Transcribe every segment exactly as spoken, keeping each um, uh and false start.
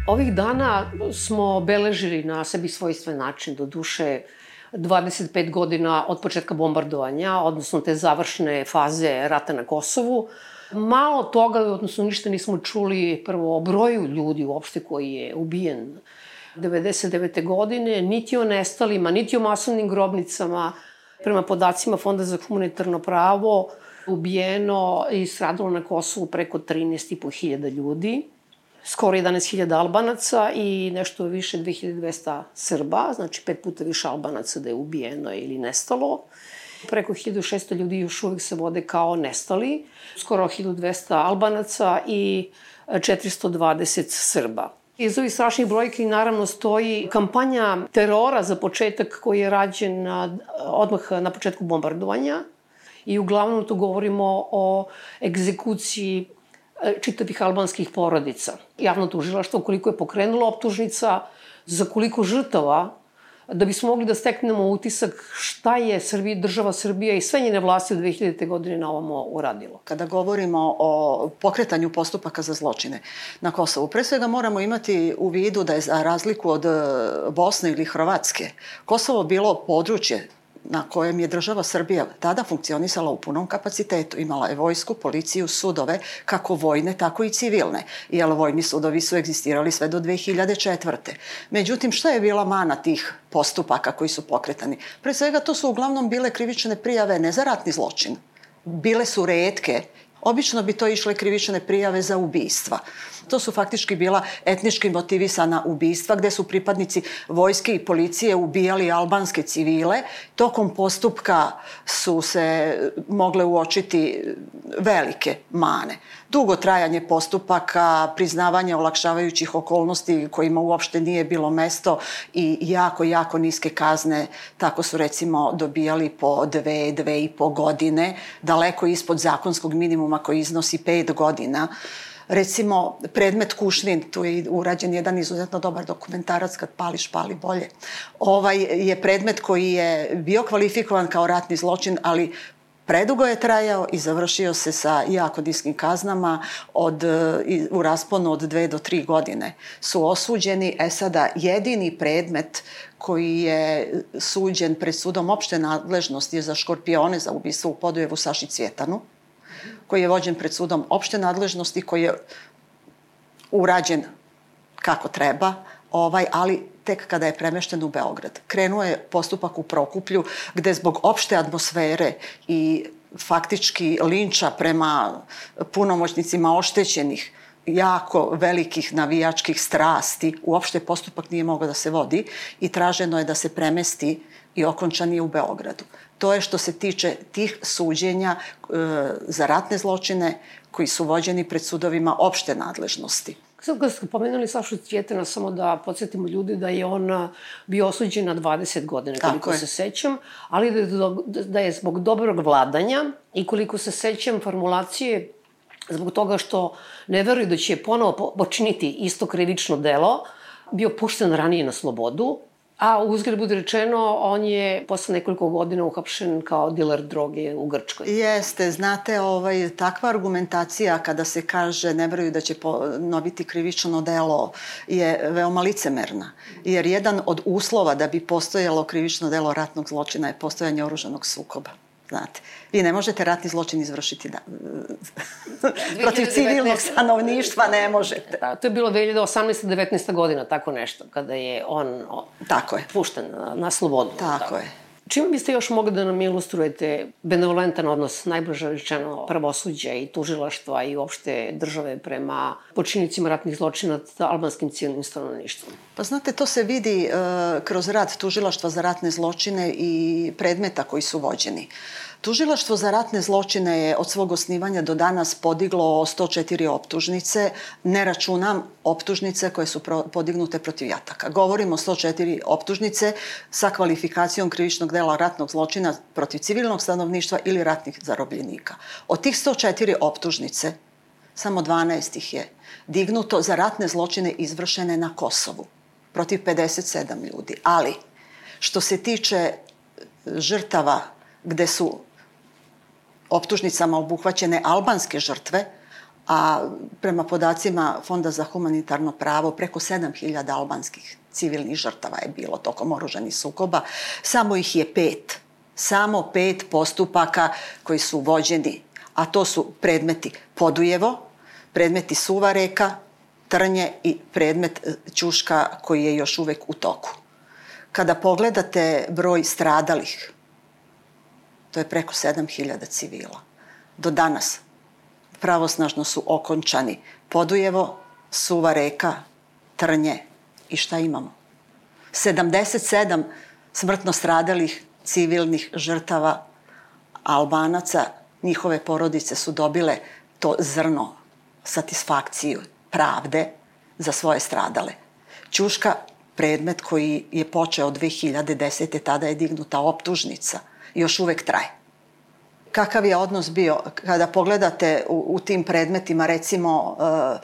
Ovih dana smo obeležili na sebi svojstven način, do duše dvadeset pet godina od početka bombardovanja, odnosno te završne faze rata na Kosovu. Malo toga, odnosno ništa nismo čuli prvo o broju ljudi uopšte koji je ubijen devedeset devete godine, niti o nestalima, niti o masovnim grobnicama. Prema podacima Fonda za humanitarno pravo ubijeno i stradalo na Kosovu preko trinaest i po hiljada ljudi. Skoro jedanaest hiljada Albanaca i nešto više dve hiljade dvesta Srba, znači pet puta više Albanaca da je ubijeno ili nestalo. Preko hiljadu šesto ljudi još uvek se vode kao nestali, skoro hiljadu dvesta Albanaca i četiristo dvadeset Srba. Iz ovih strašnih brojki naravno stoji kampanja terora za početak koji je rađen odmah na početku bombardovanja i uglavnom tu govorimo o egzekuciji čitavih albanskih porodica. Javno tužilaštvo koliko je pokrenulo optužnica, za koliko žrtava, da bismo mogli da steknemo utisak šta je Srbija, država Srbija i sve njene vlasti od dve hiljadite godine na ovamo uradilo. Kada govorimo o pokretanju postupaka za zločine na Kosovu, pre svega moramo imati u vidu da je za razliku od Bosne ili Hrvatske, Kosovo bilo područje na kojem je država Srbija tada funkcionisala u punom kapacitetu. Imala je vojsku, policiju, sudove, kako vojne, tako i civilne. Jer vojni sudovi su egzistirali sve do dve hiljade četvrte. Međutim, šta je bila mana tih postupaka koji su pokretani? Pre svega, to su uglavnom bile krivične prijave ne za ratni zločin. Bile su retke. Obično bi to išle krivične prijave za ubistva. To su faktički bila etnički motivisana ubistva gde su pripadnici vojske i policije ubijali albanske civile. Tokom postupka su se mogle uočiti velike mane. Dugo trajanje postupaka, priznavanje olakšavajućih okolnosti kojima uopšte nije bilo mesto i jako, jako niske kazne. Tako su recimo dobijali po dve, dve i po godine, daleko ispod zakonskog minimuma koji iznosi pet godina. Recimo, predmet Kušnin, tu je urađen jedan izuzetno dobar dokumentarac, Kad pališ, pali bolje. Ovaj je predmet koji je bio kvalifikovan kao ratni zločin, ali predugo je trajao i završio se sa jako niskim kaznama. Od, u rasponu od dve do tri godine su osuđeni. E sada, jedini predmet koji je suđen pred sudom opšte nadležnosti je za Škorpione, za ubistvo u Podujevu Saši Cvjetanu, koji je vođen pred sudom opšte nadležnosti, koji je urađen kako treba, ovaj, ali tek kada je premešten u Beograd. Krenuo je postupak u Prokuplju, gde zbog opšte atmosfere i faktički linča prema punomoćnicima oštećenih, jako velikih navijačkih strasti, uopšte postupak nije mogao da se vodi i traženo je da se premesti i okončan je u Beogradu. To je što se tiče tih suđenja e, za ratne zločine koji su vođeni pred sudovima opšte nadležnosti. Sad kad ste pomenuli Sašu Cvjetana, samo da podsjetimo ljudi da je on bio osuđen na dvadeset godina, koliko se sećam, ali da je, da je zbog dobrog vladanja i koliko se sećam formulacije zbog toga što ne veruju da će ponovo počiniti isto krivično delo, bio pušten ranije na slobodu, a uzgled bude rečeno, on je posle nekoliko godina uhapšen kao diler droge u Grčkoj. Jeste, znate, ovaj, takva argumentacija kada se kaže ne veruju da će ponoviti krivično delo je veoma licemerna. Jer jedan od uslova da bi postojalo krivično delo ratnog zločina je postojanje oružanog sukoba. Znate, vi ne možete ratni zločin izvršiti da, protiv civilnog stanovništva, ne možete. Da, to je bilo dve hiljade osamnaesta devetnaesta godina, tako nešto, kada je on tako je. pušten na, na slobodu. Tako, tako je. Čime biste još mogli da nam ilustrujete benevolentan odnos, najbliže rečeno, pravosuđa i tužilaštva i uopšte države prema počinnicima ratnih zločina sa albanskim civilnim stanovništvom? Pa znate, to se vidi uh, kroz rad Tužilaštva za ratne zločine i predmeta koji su vođeni. Tužilaštvo za ratne zločine je od svog osnivanja do danas podiglo sto četiri optužnice, ne računam optužnice koje su pro, podignute protiv jataka. Govorimo o sto četiri optužnice sa kvalifikacijom krivičnog dela ratnog zločina protiv civilnog stanovništva ili ratnih zarobljenika. Od tih sto četiri optužnice, samo dvanaest ih je dignuto za ratne zločine izvršene na Kosovu, protiv pedeset sedam ljudi. Ali, što se tiče žrtava gde su optužnicama obuhvaćene albanske žrtve, a prema podacima Fonda za humanitarno pravo preko sedam hiljada albanskih civilnih žrtava je bilo tokom oružanih sukoba, samo ih je pet. Samo pet postupaka koji su vođeni, a to su predmeti Podujevo, predmeti Suvareka, Trnje i predmet Ćuška koji je još uvek u toku. Kada pogledate broj stradalih, to je preko sedam hiljada civila. Do danas pravosnažno su okončani Podujevo, Suvareka, Trnje i šta imamo? sedamdeset sedam smrtno stradalih civilnih žrtava Albanaca, njihove porodice su dobile to zrno, satisfakciju, pravde za svoje stradale. Ćuška, predmet koji je počeo dve hiljade desete. tada je dignuta optužnica, još uvek traje. Kakav je odnos bio kada pogledate u, u tim predmetima, recimo, e,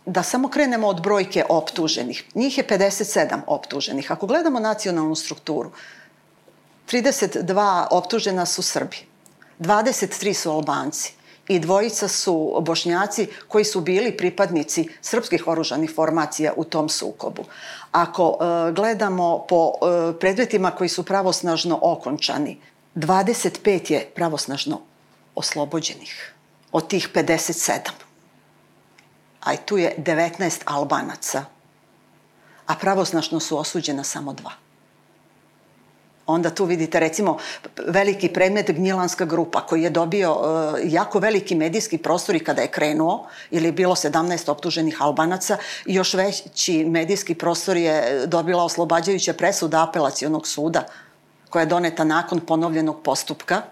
da samo krenemo od brojke optuženih. Njih je pedeset sedam optuženih. Ako gledamo nacionalnu strukturu, trideset dva optužena su Srbi, dvadeset tri su Albanci i dvojica su Bošnjaci koji su bili pripadnici srpskih oružanih formacija u tom sukobu. Ako e, gledamo po e, predmetima koji su pravosnažno okončani, dvadeset pet je pravosnažno oslobođenih od tih pedeset sedam. A i tu je devetnaest Albanaca, a pravosnažno su osuđena samo dva. Onda tu vidite, recimo, veliki predmet Gnjilanska grupa koji je dobio uh, jako veliki medijski prostor i kada je krenuo, ili je bilo sedamnaest optuženih Albanaca, i još veći medijski prostor je dobila oslobađajuća presuda Apelacionog suda koja je doneta nakon ponovljenog postupka,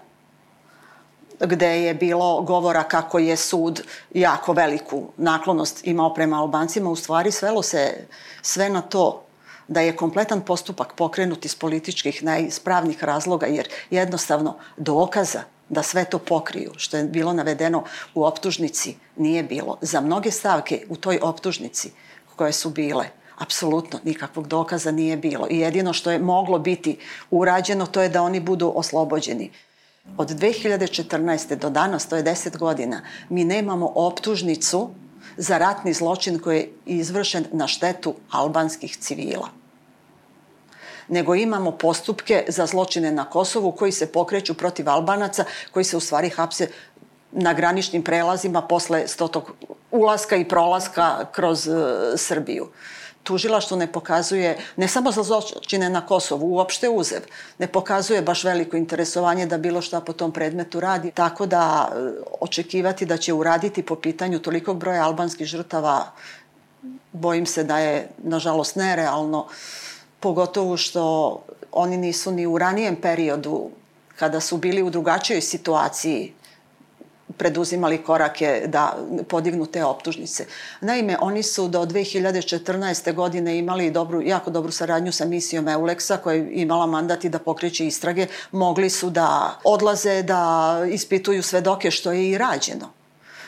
gde je bilo govora kako je sud jako veliku naklonost imao prema Albancima. U stvari svelo se sve na to da je kompletan postupak pokrenut iz političkih, ne iz pravnih razloga, jer jednostavno dokaza da sve to pokriju, što je bilo navedeno u optužnici, nije bilo. Za mnoge stavke u toj optužnici koje su bile, apsolutno nikakvog dokaza nije bilo. I jedino što je moglo biti urađeno, to je da oni budu oslobođeni. Od dve hiljade četrnaeste. do danas, to je deset godina, mi nemamo optužnicu za ratni zločin koji je izvršen na štetu albanskih civila. Nego imamo postupke za zločine na Kosovu koji se pokreću protiv Albanaca, koji se u stvari hapse na graničnim prelazima posle stotog ulaska i prolaska kroz uh, Srbiju. Tužilaštvo ne pokazuje, ne samo za zločine na Kosovu, uopšte uzev, ne pokazuje baš veliko interesovanje da bilo šta po tom predmetu radi. Tako da očekivati da će uraditi po pitanju tolikog broja albanskih žrtava, bojim se da je, nažalost, nerealno, pogotovo što oni nisu ni u ranijem periodu, kada su bili u drugačijoj situaciji, preduzimali korake da podignu te optužnice. Naime, oni su do dve hiljade četrnaeste. godine imali dobru, jako dobru saradnju sa misijom Euleksa, koja je imala mandat i da pokreće istrage. Mogli su da odlaze, da ispituju svedoke, što je i rađeno.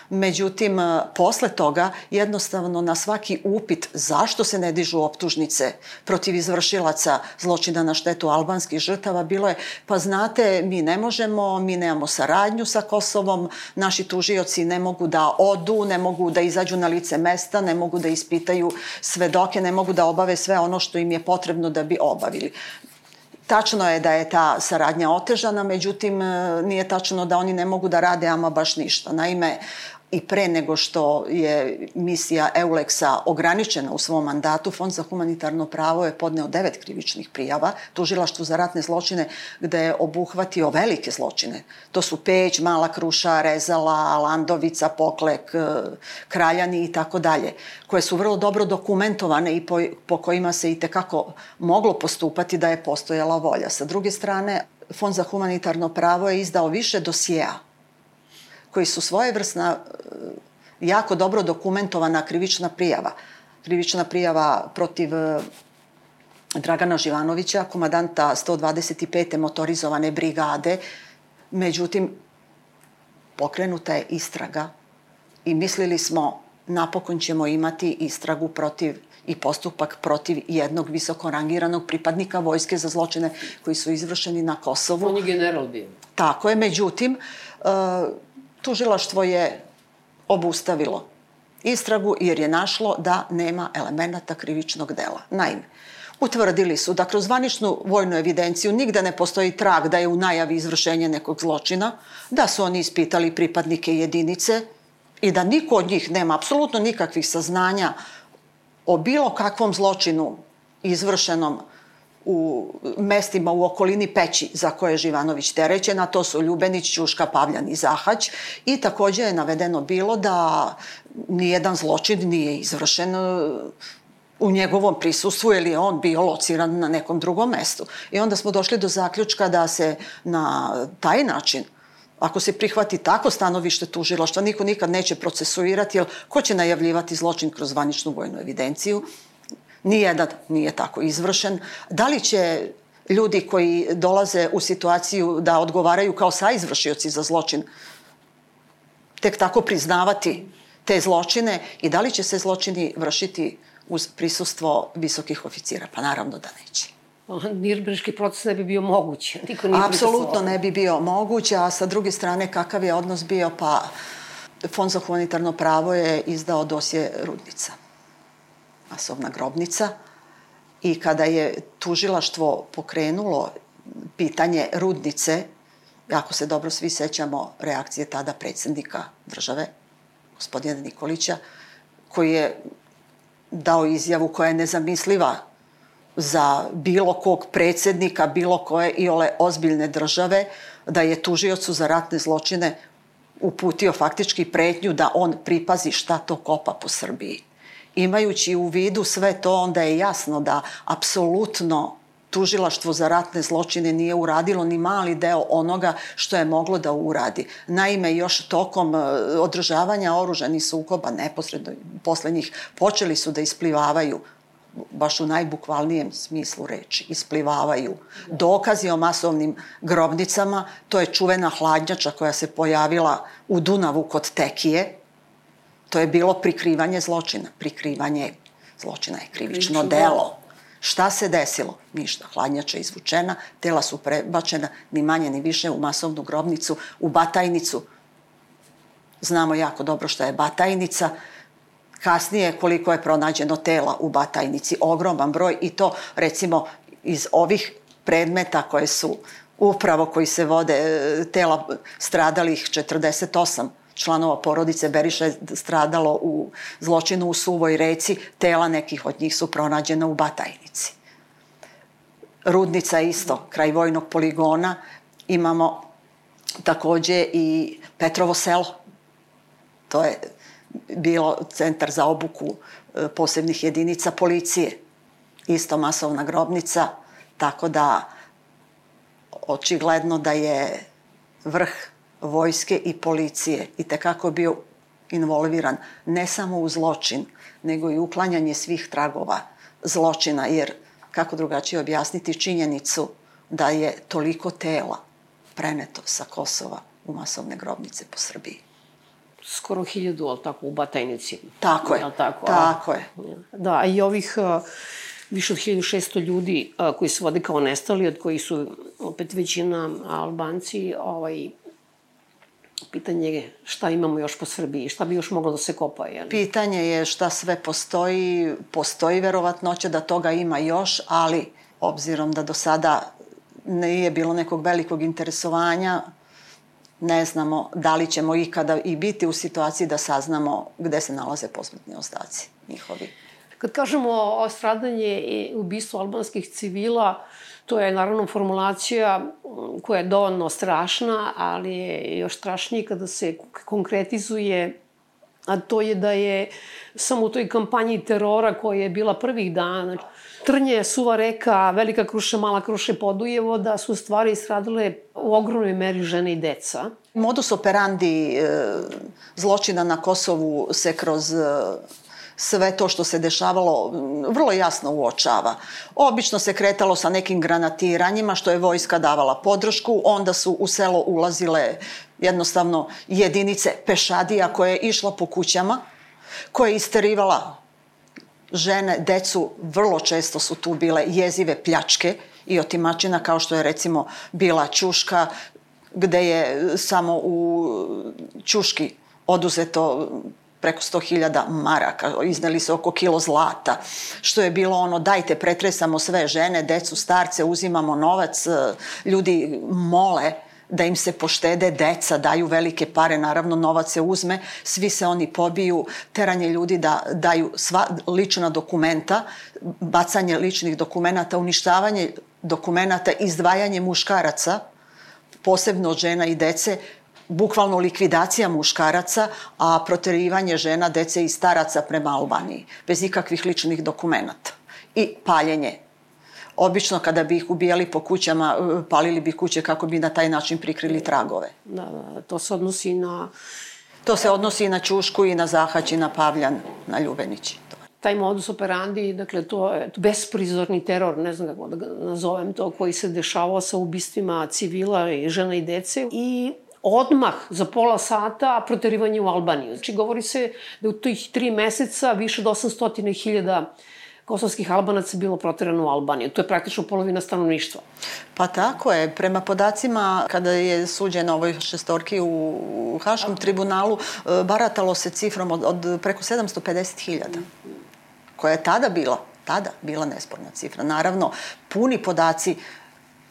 Međutim, posle toga, jednostavno na svaki upit zašto se ne dižu optužnice protiv izvršilaca zločina na štetu albanskih žrtava, bilo je, pa znate, mi ne možemo, mi nemamo saradnju sa Kosovom, naši tužioci ne mogu da odu, ne mogu da izađu na lice mesta, ne mogu da ispitaju svedoke, ne mogu da obave sve ono što im je potrebno da bi obavili. Tačno je da je ta saradnja otežana, međutim, nije tačno da oni ne mogu da rade ama baš ništa. Naime, i pre nego što je misija Euleksa ograničena u svom mandatu, Fond za humanitarno pravo je podneo devet krivičnih prijava Tužilaštvu za ratne zločine, gde je obuhvatio velike zločine. To su Peć, Mala Kruša, Rezala, Landovica, Poklek, Kraljani i tako dalje, koje su vrlo dobro dokumentovane i po, po kojima se i tekako moglo postupati da je postojala volja. Sa druge strane, Fond za humanitarno pravo je izdao više dosjea koji su svojevrsna, jako dobro dokumentovana krivična prijava. Krivična prijava protiv Dragana Živanovića, komandanta sto dvadeset pete motorizovane brigade. Međutim, pokrenuta je istraga i mislili smo napokon ćemo imati istragu protiv i postupak protiv jednog visoko rangiranog pripadnika vojske za zločine koji su izvršeni na Kosovu. On je general bio. Tako je, međutim, tužilaštvo je obustavilo istragu jer je našlo da nema elemenata krivičnog dela. Naime, utvrdili su da kroz zvaničnu vojnu evidenciju nigde ne postoji trag da je u najavi izvršenje nekog zločina, da su oni ispitali pripadnike jedinice i da niko od njih nema apsolutno nikakvih saznanja o bilo kakvom zločinu izvršenom u mestima u okolini Peći za koje je Živanović terećen, a to su Ljubenić, Ćuška, Pavljan i Zahać. I takođe je navedeno bilo da nijedan zločin nije izvršen u njegovom prisustvu ili je on bio lociran na nekom drugom mestu. I onda smo došli do zaključka da se na taj način, ako se prihvati tako stanovište tužilaštva, niko nikad neće procesuirati, jer ko će najavljivati zločin kroz zvaničnu vojnu evidenciju? Nijedan nije tako izvršen. Da li će ljudi koji dolaze u situaciju da odgovaraju kao saizvršioci za zločin tek tako priznavati te zločine i da li će se zločini vršiti uz prisustvo visokih oficira? Pa naravno da neće. Nirnberški proces ne bi bio moguć. Niko nije Apsolutno ne bi bio moguć, a sa druge strane kakav je odnos bio? Pa Fond za humanitarno pravo je izdao dosje Rudnica, masovna grobnica, i kada je tužilaštvo pokrenulo pitanje Rudnice, ako se dobro svi sećamo reakcije tada predsjednika države, gospodina Nikolića, koji je dao izjavu koja je nezamisliva za bilo kog predsjednika, bilo koje iole ozbiljne države, da je tužiocu za ratne zločine uputio faktički pretnju da on pripazi šta to kopa po Srbiji. Imajući u vidu sve to, onda je jasno da apsolutno tužilaštvo za ratne zločine nije uradilo ni mali deo onoga što je moglo da uradi. Naime, još tokom održavanja oružanih sukoba, neposredno posle njih, počeli su da isplivavaju, baš u najbukvalnijem smislu reči, isplivavaju dokazi o masovnim grobnicama. To je čuvena hladnjača koja se pojavila u Dunavu kod Tekije. To je bilo prikrivanje zločina. Prikrivanje zločina je krivično delo. Šta se desilo? Ništa. Hladnjača je izvučena, tela su prebačena ni manje ni više u masovnu grobnicu, u Batajnicu. Znamo jako dobro šta je Batajnica. Kasnije koliko je pronađeno tela u Batajnici, ogroman broj, i to recimo iz ovih predmeta koje su upravo koji se vode, tela stradalih četrdeset osam članova porodice Beriša je stradalo u zločinu u Suvoj Reci, tela nekih od njih su pronađena u Batajnici. Rudnica isto, kraj vojnog poligona. Imamo takođe i Petrovo selo. To je bilo centar za obuku posebnih jedinica policije. Isto masovna grobnica, tako da očigledno da je vrh vojske i policije i tekako bio involviran ne samo u zločin, nego i uklanjanje svih tragova zločina, jer kako drugačije objasniti činjenicu da je toliko tela preneto sa Kosova u masovne grobnice po Srbiji. Skoro hiljadu, ali tako, u Batajnici. Tako je, tako, tako je. Da, i ovih više od hiljadu šesto ljudi koji se vode kao nestali, od kojih su opet većina Albanci, ovaj, pitanje je šta imamo još po Srbiji, šta bi još moglo da se kopa, jel? Pitanje je šta sve postoji, postoji verovatnoća da toga ima još, ali obzirom da do sada nije bilo nekog velikog interesovanja, ne znamo da li ćemo ikada i biti u situaciji da saznamo gde se nalaze posmrtni ostaci njihovi. Kad kažemo o stradanje i ubistvo albanskih civila, to je naravno formulacija koja je dovoljno strašna, ali je još strašnije kada se konkretizuje, a to je da je samo u toj kampanji terora koja je bila prvih dana, Trnje, Suva reka, Velika Kruša, Mala Kruša i Podujevo, da su stvari stradale u ogromnoj meri žene i deca. Modus operandi zločina na Kosovu se kroz sve to što se dešavalo vrlo jasno uočava. Obično se kretalo sa nekim granatiranjima, što je vojska davala podršku, onda su u selo ulazile jednostavno jedinice pešadija koje je išla po kućama, koje je isterivala žene, decu, vrlo često su tu bile jezive pljačke i otimačina, kao što je recimo bila Ćuška, gde je samo u Ćuški oduzeto preko sto hiljada maraka, izneli se oko kilo zlata, što je bilo ono, dajte, pretresamo sve žene, decu, starce, uzimamo novac, ljudi mole da im se poštede, deca daju velike pare, naravno novac se uzme, svi se oni pobiju, teranje ljudi da daju sva lična dokumenta, bacanje ličnih dokumenata, uništavanje dokumenata, izdvajanje muškaraca, posebno od žena i dece, bukvalno likvidacija muškaraca, a proterivanje žena, dece i staraca prema Albaniji, bez ikakvih ličnih dokumenata. I paljenje. Obično kada bi ih ubijali po kućama, palili bi kuće kako bi na taj način prikrili tragove. Da, da, to se odnosi na... To se odnosi i na Ćušku, i na Zahać, i na Pavljan, na Ljubenići. Taj modus operandi, dakle, to je besprizorni teror, ne znam kako da ga nazovem to, koji se dešavao sa ubistvima civila i žena i dece. I odmah, za pola sata, proterivanje u Albaniju. Znači, govori se da u tih tri meseca više od osamsto hiljada kosovskih Albanaca bilo proterano u Albaniju. To je praktično polovina stanovništva. Pa tako je. Prema podacima, kada je suđeno ovoj šestorki u Haškom tribunalu, baratalo se cifrom od, od preko sedamsto pedeset hiljada, koja je tada bila, tada bila nesporna cifra. Naravno, puni podaci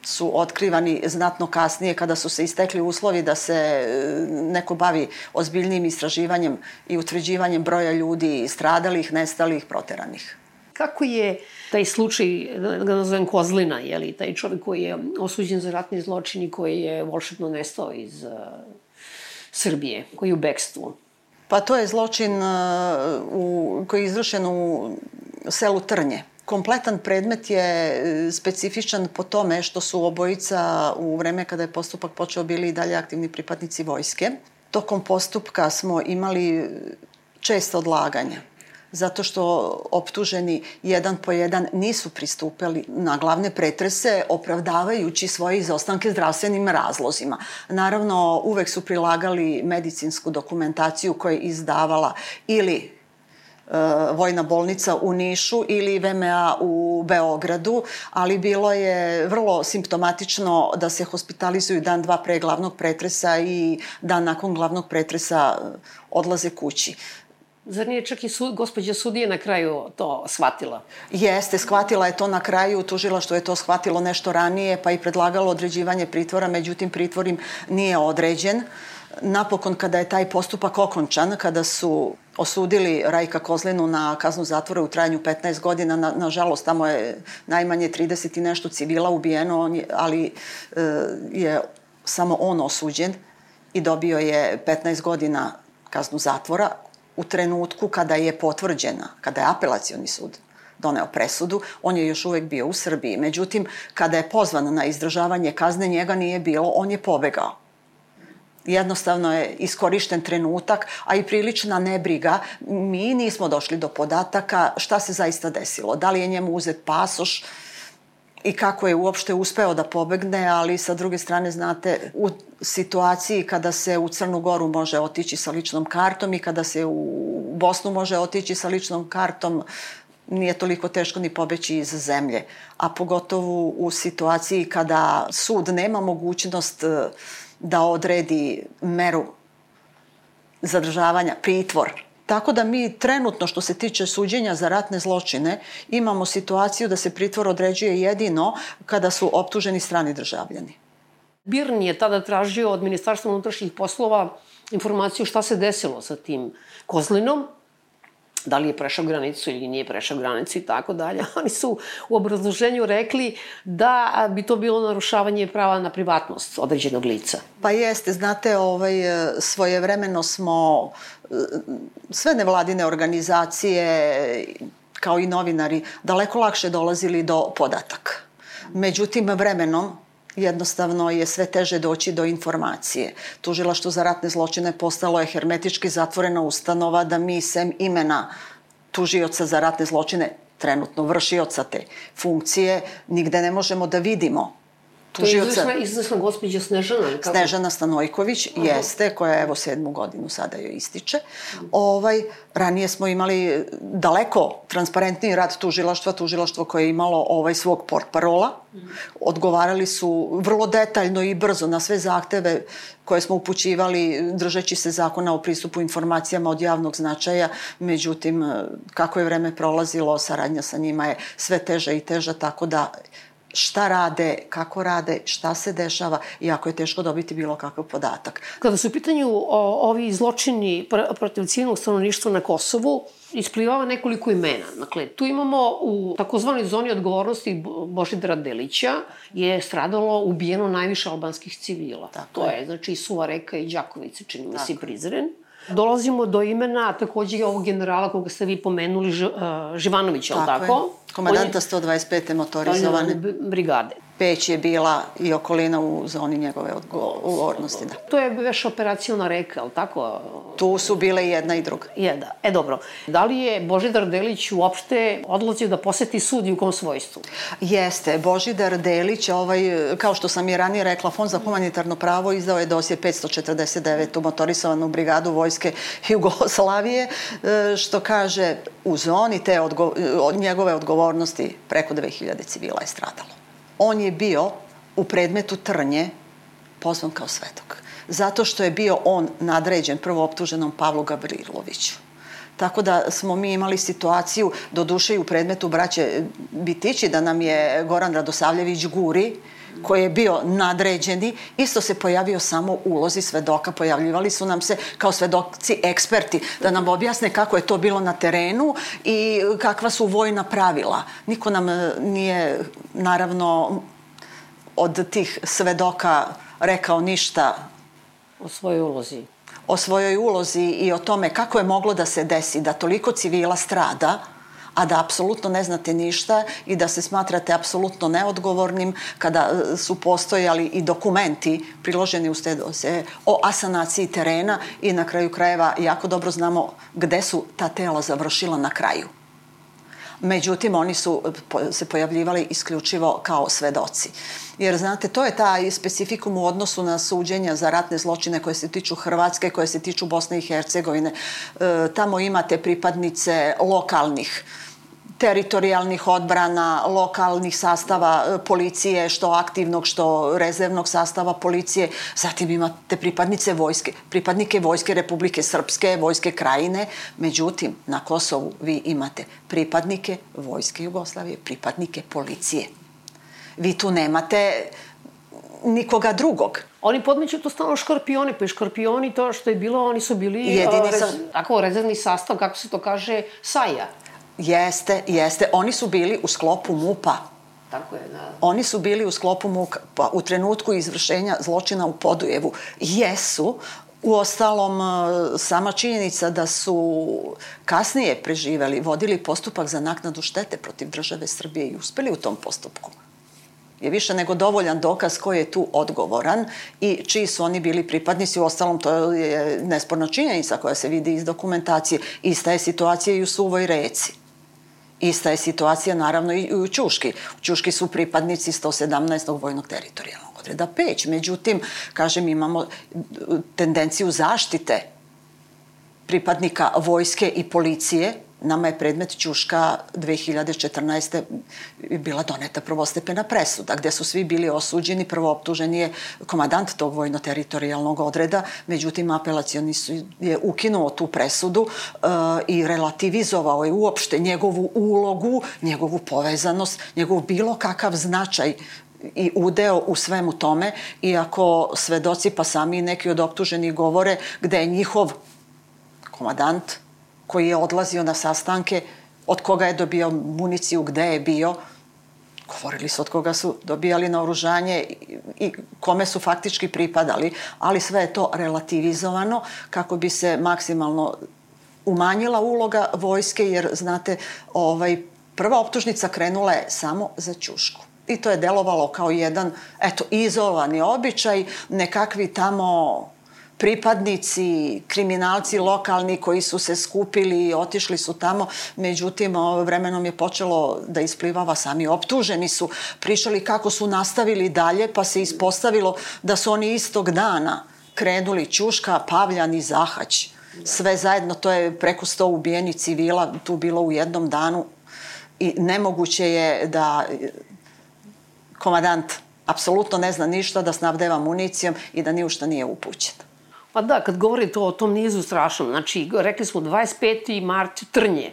su otkrivani znatno kasnije kada su se istekli uslovi da se neko bavi ozbiljnim istraživanjem i utvrđivanjem broja ljudi stradalih, nestalih, proteranih. Kako je taj slučaj, da ga nazovem Kozlina, je li, taj čovjek koji je osuđen za ratni zločin i koji je volšebno nestao iz uh, Srbije, koji je u bekstvu? Pa to je zločin uh, u, koji je izvršen u selu Trnje. Kompletan predmet je specifičan po tome što su obojica u vreme kada je postupak počeo bili i dalje aktivni pripadnici vojske. Tokom postupka smo imali često odlaganja, zato što optuženi jedan po jedan nisu pristupili na glavne pretrese, opravdavajući svoje izostanke zdravstvenim razlozima. Naravno, uvek su prilagali medicinsku dokumentaciju koju je izdavala ili Vojna bolnica u Nišu ili V M A u Beogradu, ali bilo je vrlo simptomatično da se hospitalizuju dan, dva pre glavnog pretresa i dan nakon glavnog pretresa odlaze kući. Zar nije čak i sud, gospođa sudija na kraju to shvatila? Jeste, shvatila je to na kraju, tužilaštvo je to shvatilo nešto ranije, pa i predlagalo određivanje pritvora, međutim pritvor im nije određen. Napokon, kada je taj postupak okončan, kada su osudili Rajka Kozlinu na kaznu zatvora u trajanju petnaest godina, na, nažalost, tamo je najmanje trideset i nešto civila ubijeno, ali e, je samo on osuđen i dobio je petnaest godina kaznu zatvora. U trenutku kada je potvrđena, kada je apelacioni sud doneo presudu, on je još uvek bio u Srbiji. Međutim, kada je pozvan na izdržavanje kazne, njega nije bilo, on je pobegao. Jednostavno je iskorišten trenutak, a i prilična nebriga. Mi nismo došli do podataka šta se zaista desilo. Da li je njemu uzet pasoš i kako je uopšte uspeo da pobegne, ali sa druge strane, znate, u situaciji kada se u Crnu Goru može otići sa ličnom kartom i kada se u Bosnu može otići sa ličnom kartom, nije toliko teško ni pobeći iz zemlje. A pogotovo u situaciji kada sud nema mogućnost da odredi meru zadržavanja, pritvor. Tako da mi trenutno, što se tiče suđenja za ratne zločine, imamo situaciju da se pritvor određuje jedino kada su optuženi strani državljani. Birn je tada tražio od Ministarstva unutrašnjih poslova informaciju šta se desilo sa tim Kozlinom, da li je prešao granicu ili nije prešao granicu i tako dalje. Oni su u obrazloženju rekli da bi to bilo narušavanje prava na privatnost određenog lica. Pa jeste, znate, ovaj, svojevremeno smo sve nevladine organizacije, kao i novinari, daleko lakše dolazili do podataka. Međutim, vremenom jednostavno je sve teže doći do informacije. Tužilaštvo za ratne zločine postalo je hermetički zatvorena ustanova da mi sem imena tužioca za ratne zločine, trenutno vršioca te funkcije, nigde ne možemo da vidimo tužioca. To je izvesna gospođa Snežana. Snežana Stanojković jeste, koja evo sedmu godinu sada joj ističe. Ovaj, ranije smo imali daleko transparentniji rad tužilaštva, tužilaštvo koje je imalo ovaj svog portparola. Odgovarali su vrlo detaljno i brzo na sve zahteve koje smo upućivali držeći se zakona o pristupu informacijama od javnog značaja. Međutim, kako je vreme prolazilo, saradnja sa njima je sve teža i teža, tako da šta rade, kako rade, šta se dešava, jako je teško dobiti bilo kakav podatak. Kada su u pitanju ovi zločini protiv civilnog stanovništva na Kosovu, isplivava nekoliko imena. Dakle, tu imamo u takozvanoj zoni odgovornosti Božidara Delića je stradalo, ubijeno najviše albanskih civila. To je, znači, Suva Reka i Đakovica, čini mi se i Prizren. Dolazimo do imena takođe ovog generala koga ste vi pomenuli, Živanovića, ali tako? Tako je. Komandanta sto dvadeset pete motorizovane brigade. Peć je bila i okolina u zoni njegove odgovornosti. Da. To je već operaciona Reka, ali tako? Tu su bile i jedna i druga. Je, da. E, dobro. Da li je Božidar Delić uopšte odlazio da poseti sud i u kom svojstvu? Jeste. Božidar Delić, ovaj, kao što sam i ranije rekla, Fond za humanitarno pravo izdao je dosje petsto četrdeset devetu motorisovanu brigadu Vojske Jugoslavije, što kaže u zoni te odgo njegove odgovornosti preko dve hiljade civila je stradalo. On je bio u predmetu Trnje pozvan kao svedok. Zato što je bio on nadređen prvo optuženom Pavlu Gavriloviću. Tako da smo mi imali situaciju, do duše i u predmetu braće Bitići, da nam je Goran Radosavljević Guri, koji je bio nadređeni, isto se pojavio samo u ulozi svedoka. Pojavljivali su nam se kao svedoci eksperti da nam objasne kako je to bilo na terenu i kakva su vojna pravila. Niko nam nije, naravno, od tih svedoka rekao ništa o svojoj ulozi. O svojoj ulozi i o tome kako je moglo da se desi da toliko civila strada, a da apsolutno ne znate ništa i da se smatrate apsolutno neodgovornim kada su postojali i dokumenti priloženi uz te dosije o asanaciji terena i na kraju krajeva jako dobro znamo gde su ta tela završila na kraju. Međutim, oni su se pojavljivali isključivo kao svedoci. Jer, znate, to je taj specifikum u odnosu na suđenja za ratne zločine koje se tiču Hrvatske, koje se tiču Bosne i Hercegovine. E, tamo imate pripadnice lokalnih teritorijalnih odbrana, lokalnih sastava policije, što aktivnog, što rezervnog sastava policije. Zatim imate pripadnice vojske, pripadnike Vojske Republike Srpske, Vojske Krajine. Međutim, na Kosovu vi imate pripadnike Vojske Jugoslavije, pripadnike policije. Vi tu nemate nikoga drugog. Oni podmeću to stalno škorpioni, pa i škorpioni, to što je bilo, oni su bili jedini sa... tako, rezervni sastav, kako se to kaže, saja. Jeste, jeste. Oni su bili u sklopu MUP-a. Tako je, da. Oni su bili u sklopu MUP-a u trenutku izvršenja zločina u Podujevu. Jesu, uostalom, sama činjenica da su kasnije preživeli, vodili postupak za naknadu štete protiv države Srbije i uspeli u tom postupku, je više nego dovoljan dokaz ko je tu odgovoran i čiji su oni bili pripadnici. Uostalom, to je nesporna činjenica koja se vidi iz dokumentacije. Ista je situacija i u Suvoj Reci. Ista je situacija, naravno, i u Ćuški. U Ćuški su pripadnici sto sedamnaestog vojnog teritorijalnog odreda Peć. Međutim, kažem, imamo tendenciju zaštite pripadnika vojske i policije. Nama je predmet Ćuška dve hiljade četrnaeste. bila doneta prvostepena presuda, gde su svi bili osuđeni. Prvo optuženi je komandant tog vojno-teritorijalnog odreda, međutim, apelacioni je ukinuo tu presudu uh, i relativizovao je uopšte njegovu ulogu, njegovu povezanost, njegov bilo kakav značaj i udeo u svemu tome, iako svedoci pa sami neki od optuženih govore gde je njihov komadant koji je odlazio na sastanke, od koga je dobio municiju, gde je bio, govorili su od koga su dobijali naoružanje i kome su faktički pripadali, ali sve je to relativizovano kako bi se maksimalno umanjila uloga vojske, jer znate, ovaj, prva optužnica krenula je samo za ćušku. I to je delovalo kao jedan, eto, izolovani običaj, nekakvi tamo pripadnici, kriminalci lokalni koji su se skupili i otišli su tamo, međutim, vremenom je počelo da isplivava, sami optuženi su pričali kako su nastavili dalje, pa se ispostavilo da su oni istog dana krenuli Ćuška, Pavljan i Zahać. Sve zajedno, to je preko sto ubijenih civila tu bilo u jednom danu i nemoguće je da komadant apsolutno ne zna ništa, da snabdeva municijom i da ni u šta nije upućen. Pa da, kad govorite o tom nizu strašnom, znači, rekli smo dvadeset peti mart Trnje,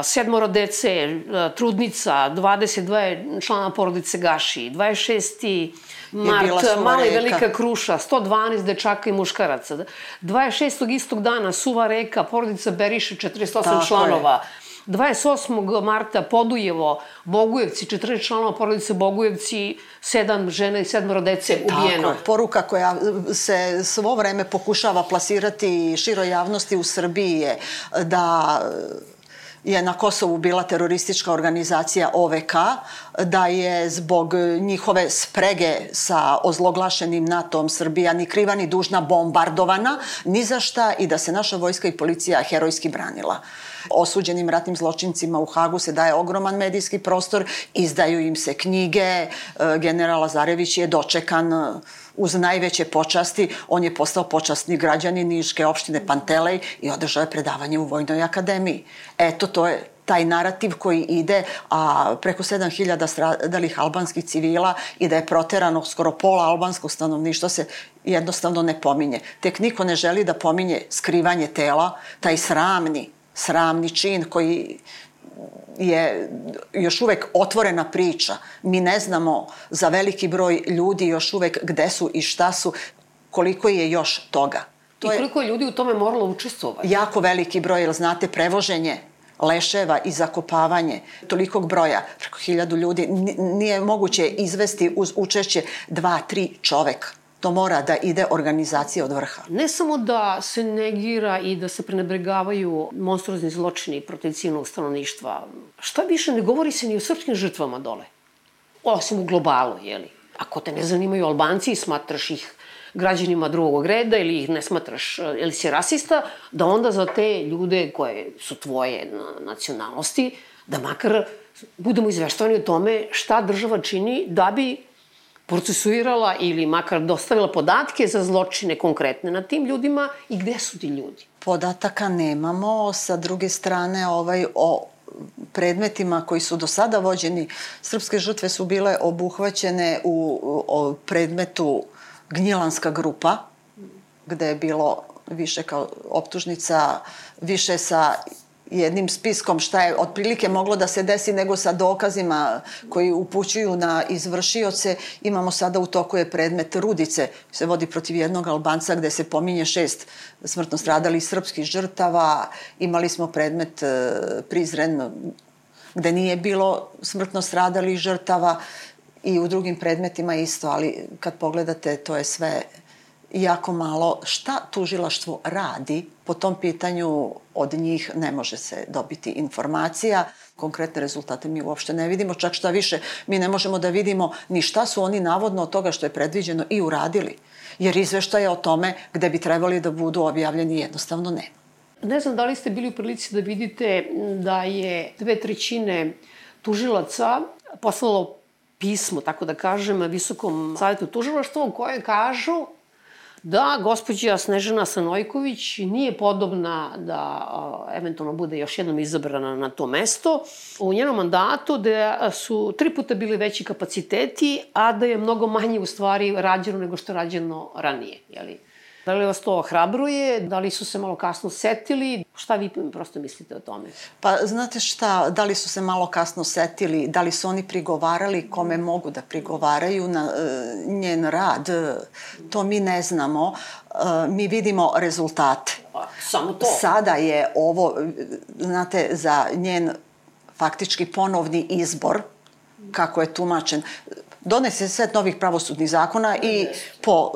sedmoro dece, trudnica, dvadeset dva člana porodice Gaši, dvadeset šesti mart, Mala i Velika Kruša, sto dvanaest dečaka i muškaraca, dvadeset šestog istog dana Suva Reka, porodica Beriša, četrdeset osam članova, dvadeset osmog marta Podujevo, Bogujevci, četrnaest članova porodice Bogujevci, sedam žena i sedmoro dece ubijeno. Tako, poruka koja se svo vreme pokušava plasirati široj javnosti u Srbiji je da je na Kosovu bila teroristička organizacija O V K, da je zbog njihove sprege sa ozloglašenim NATO-om Srbija ni kriva ni dužna bombardovana, ni za šta, i da se naša vojska i policija herojski branila. Osuđenim ratnim zločincima u Hagu se daje ogroman medijski prostor, izdaju im se knjige, general Lazarević je dočekan uz najveće počasti, on je postao počasni građanin Niške opštine Pantelej i održao je predavanje u Vojnoj akademiji. Eto, to je taj narativ koji ide, a preko sedam hiljada stradalih albanskih civila i da je proterano skoro pola albanskog stanovništva se jednostavno ne pominje. Tek niko ne želi da pominje skrivanje tela, taj sramni, sramni čin koji je još uvek otvorena priča. Mi ne znamo za veliki broj ljudi još uvek gde su i šta su, koliko je još toga. I koliko je ljudi u tome moralo učestvovati? Jako veliki broj, jer znate, prevoženje leševa i zakopavanje tolikog broja, preko hiljadu ljudi, nije moguće izvesti uz učešće dva, tri čoveka. To mora da ide organizacija od vrha. Ne samo da se negira i da se prenebregavaju monstruozni zločini protiv civilnog stanovništva, šta više, ne govori se ni o srpskim žrtvama dole. Osim u globalu, jeli? Ako te ne zanimaju Albanci i smatraš ih građanima drugog reda ili ih ne smatraš, ili si rasista, da onda za te ljude koje su tvoje nacionalnosti, da makar budemo izveštavani o tome šta država čini da bi procesuirala ili makar dostavila podatke za zločine konkretne na tim ljudima i gde su ti ljudi? Podataka nemamo. Sa druge strane, ovaj, o predmetima koji su do sada vođeni, srpske žrtve su bile obuhvaćene u o predmetu Gnjilanska grupa, gde je bilo više kao optužnica, više sa jednim spiskom šta je otprilike moglo da se desi nego sa dokazima koji upućuju na izvršioce. Imamo sada u toku je predmet Rudice, se vodi protiv jednog Albanca gde se pominje šest smrtno stradalih srpskih žrtava. Imali smo predmet Prizren gde nije bilo smrtno stradalih žrtava i u drugim predmetima isto, ali kad pogledate to je sve jako malo. Šta tužilaštvo radi po tom pitanju, od njih ne može se dobiti informacija. Konkretne rezultate mi uopšte ne vidimo, čak šta više, mi ne možemo da vidimo ni šta su oni navodno od toga što je predviđeno i uradili. Jer izveštaje o tome gde bi trebali da budu objavljeni jednostavno ne. Ne znam da li ste bili u prilici da vidite da je dve trećine tužilaca poslalo pismo, tako da kažem, Visokom savjetu tužilaštva u koje kažu da gospođa Snežana Stanojković nije podobna da a, eventualno bude još jednom izabrana na to mesto. U njenom mandatu da su tri puta bili veći kapaciteti, a da je mnogo manje u stvari rađeno nego što je rađeno ranije. Jeli? Da li vas to ohrabruje? Da li su se malo kasno setili? Šta vi prosto mislite o tome? Pa znate šta, da li su se malo kasno setili, da li su oni prigovarali kome mogu da prigovaraju na uh, njen rad, to mi ne znamo. Uh, mi vidimo rezultate. Pa, samo to. Sada je ovo, znate, za njen faktički ponovni izbor, kako je tumačen, donese set novih pravosudnih zakona i po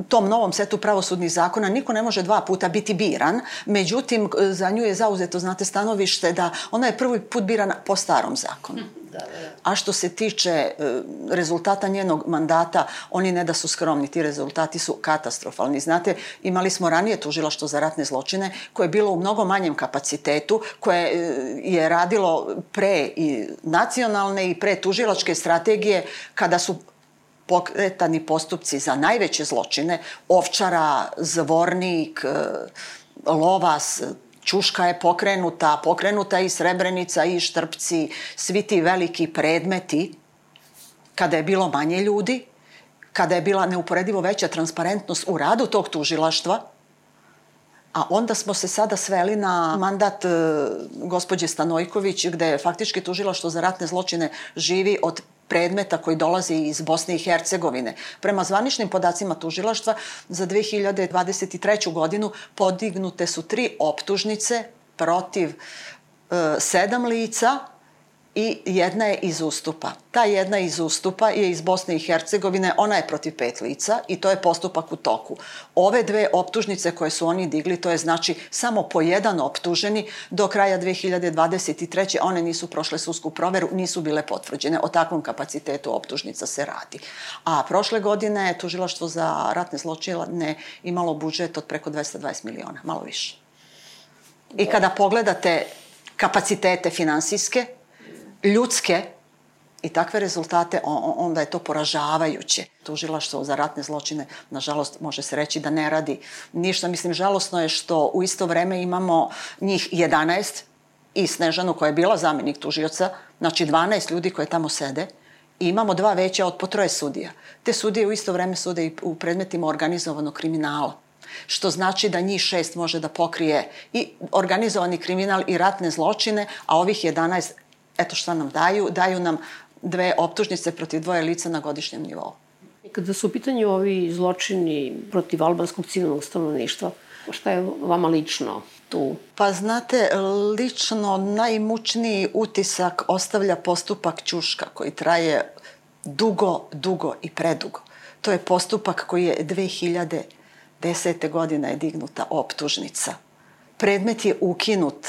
tom novom setu pravosudnih zakona niko ne može dva puta biti biran, međutim za nju je zauzeto, znate, stanovište da ona je prvi put birana po starom zakonu. Da, da, da. A što se tiče rezultata njenog mandata, oni ne da su skromni, ti rezultati su katastrofalni. Znate, imali smo ranije tužilaštvo za ratne zločine koje je bilo u mnogo manjem kapacitetu, koje je radilo pre i nacionalne i pre tužilačke strategije kada su pokretani postupci za najveće zločine, Ovčara, Zvornik, Lovas, Ćuška je pokrenuta, pokrenuta je i Srebrenica i Štrpci, svi ti veliki predmeti, kada je bilo manje ljudi, kada je bila neuporedivo veća transparentnost u radu tog tužilaštva, a onda smo se sada sveli na mandat e, gospođe Stanojković, gde faktički tužilaštvo za ratne zločine živi od predmeta koji dolazi iz Bosne i Hercegovine. Prema zvaničnim podacima tužilaštva za dve hiljade dvadeset treću godinu podignute su tri optužnice protiv e, sedam lica i jedna je iz Ustupa. Ta jedna iz Ustupa je iz Bosne i Hercegovine, ona je protiv pet lica i to je postupak u toku. Ove dve optužnice koje su oni digli, to je znači samo po jedan optuženi, do kraja dve hiljade dvadeset treće one nisu prošle sudsku proveru, nisu bile potvrđene. O takvom kapacitetu optužnica se radi. A prošle godine je tužilaštvo za ratne zločine imalo budžet od preko dvesta dvadeset miliona, malo više. I kada pogledate kapacitete finansijske, ljudske i takve rezultate, onda je to poražavajuće. Tužilaštvo za ratne zločine, nažalost, može se reći da ne radi ništa. Mislim, žalosno je što u isto vreme imamo njih jedanaest i Snežanu koja je bila zamenik tužioca, znači dvanaest ljudi koje tamo sede, i imamo dva veća od po troje sudija. Te sudije u isto vreme sude i u predmetima organizovanog kriminala, što znači da njih šest može da pokrije i organizovani kriminal i ratne zločine, a ovih jedanaest, eto šta nam daju, daju nam dve optužnice protiv dvoje lica na godišnjem nivou. Kada su u pitanju ovi zločini protiv albanskog civilnog stanovništva, šta je vama lično tu? Pa znate, lično najmučniji utisak ostavlja postupak Ćuška koji traje dugo, dugo i predugo. To je postupak koji je dve hiljade desete godine je dignuta optužnica. Predmet je ukinut.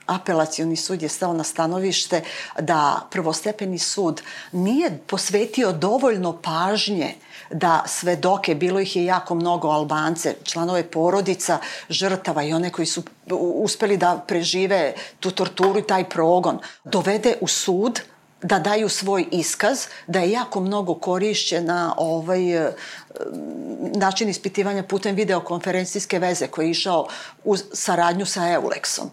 Apelacioni sud je stao na stanovište da prvostepeni sud nije posvetio dovoljno pažnje da svedoke, bilo ih je jako mnogo, Albance, članove porodica, žrtava i one koji su uspeli da prežive tu torturu i taj progon, dovede u sud da daju svoj iskaz, da je jako mnogo korišćena ovaj način ispitivanja putem videokonferencijske veze koji je išao u saradnju sa Eulexom,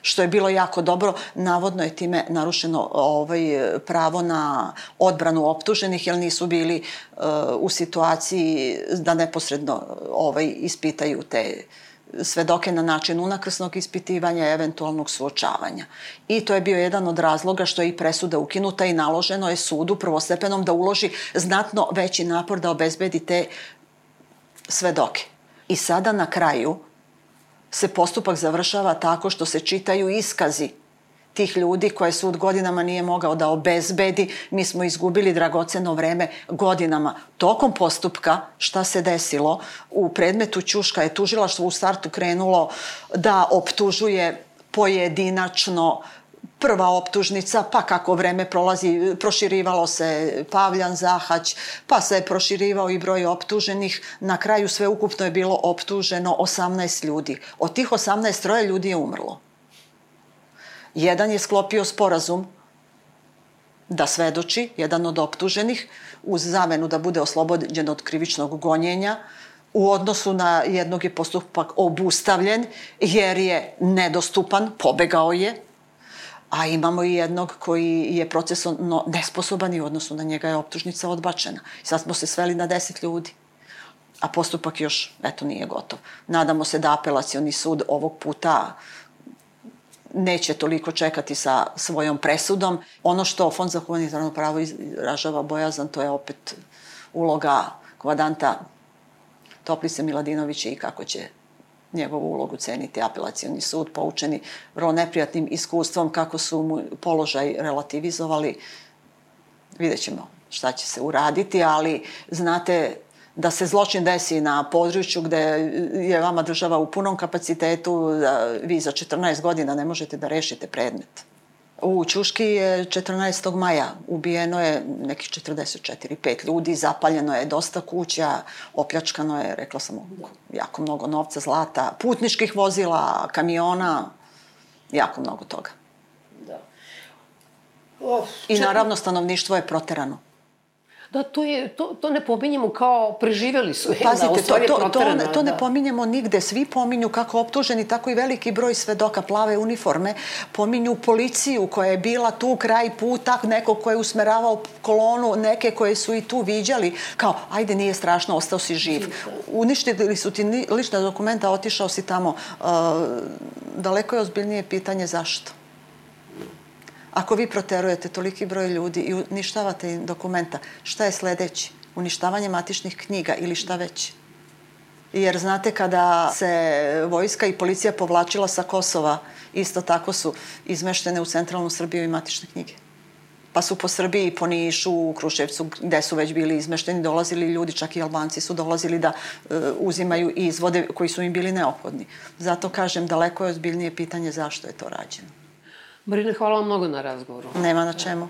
što je bilo jako dobro. Navodno je time narušeno ovaj, pravo na odbranu optuženih, jer nisu bili uh, u situaciji da neposredno ovaj, ispitaju te svedoke na način unakrsnog ispitivanja i eventualnog suočavanja. I to je bio jedan od razloga što je i presuda ukinuta i naloženo je sudu prvostepenom da uloži znatno veći napor da obezbedi te svedoke. I sada na kraju se postupak završava tako što se čitaju iskazi tih ljudi koje sud godinama nije mogao da obezbedi. Mi smo izgubili dragoceno vreme godinama. Tokom postupka, šta se desilo? U predmetu Ćuška je tužilaštvo u startu krenulo da optužuje pojedinačno. Prva optužnica, pa kako vreme prolazi, proširivalo se Pavljan, Zahać, pa se je proširivao i broj optuženih. Na kraju sve ukupno je bilo optuženo osamnaest ljudi. Od tih osamnaest, troje ljudi je umrlo. Jedan je sklopio sporazum da svedoči, jedan od optuženih, uz zamenu da bude oslobođen od krivičnog gonjenja. U odnosu na jednog je postupak obustavljen jer je nedostupan, pobegao je. A imamo i jednog koji je procesno nesposoban i u odnosu na njega je optužnica odbačena. Sad smo se sveli na deset ljudi. a postupak još, eto, nije gotov. Nadamo se da apelacioni sud ovog puta neće toliko čekati sa svojom presudom. Ono što Fond za humanitarno pravo izražava bojazan, to je opet uloga komandanta Toplice Miladinovića i kako će njegovu ulogu ceniti apelacioni sud, poučeni vrlo neprijatnim iskustvom, kako su mu položaj relativizovali. Vidjet ćemo šta će se uraditi, ali znate da se zločin desi na području gde je vama država u punom kapacitetu, da vi za četrnaest godina ne možete da rešite predmet. U Ćuški je četrnaestog maja ubijeno je nekih četrdeset četiri pet ljudi, zapaljeno je dosta kuća, opljačkano je, rekla sam, jako mnogo novca, zlata, putničkih vozila, kamiona, jako mnogo toga. Da. I naravno stanovništvo je proterano. Da, to, je, to, to ne pominjemo kao preživeli su. Pazite, da, to, to, to, ne, to ne pominjemo nigde. Svi pominju kako optuženi, tako i veliki broj svedoka plave uniforme. Pominju policiju koja je bila tu kraj puta, neko ko je usmeravao kolonu, neke koje su i tu viđali. Kao, ajde, nije strašno, ostao si živ. Uništili su ti lična dokumenta, otišao si tamo. Uh, daleko je ozbiljnije pitanje zašto. Ako vi proterujete toliki broj ljudi i uništavate im dokumenta, šta je sledeći? Uništavanje matičnih knjiga ili šta već? Jer znate, kada se vojska i policija povlačila sa Kosova, isto tako su izmeštene u centralnu Srbiju i matične knjige. Pa su po Srbiji, po Nišu, u Kruševcu, gde su već bili izmešteni, dolazili ljudi, čak i Albanci su dolazili da e, uzimaju izvode koji su im bili neophodni. Zato kažem, daleko je ozbiljnije pitanje zašto je to rađeno. Marina, hvala vam mnogo na razgovoru. Nema na čemu.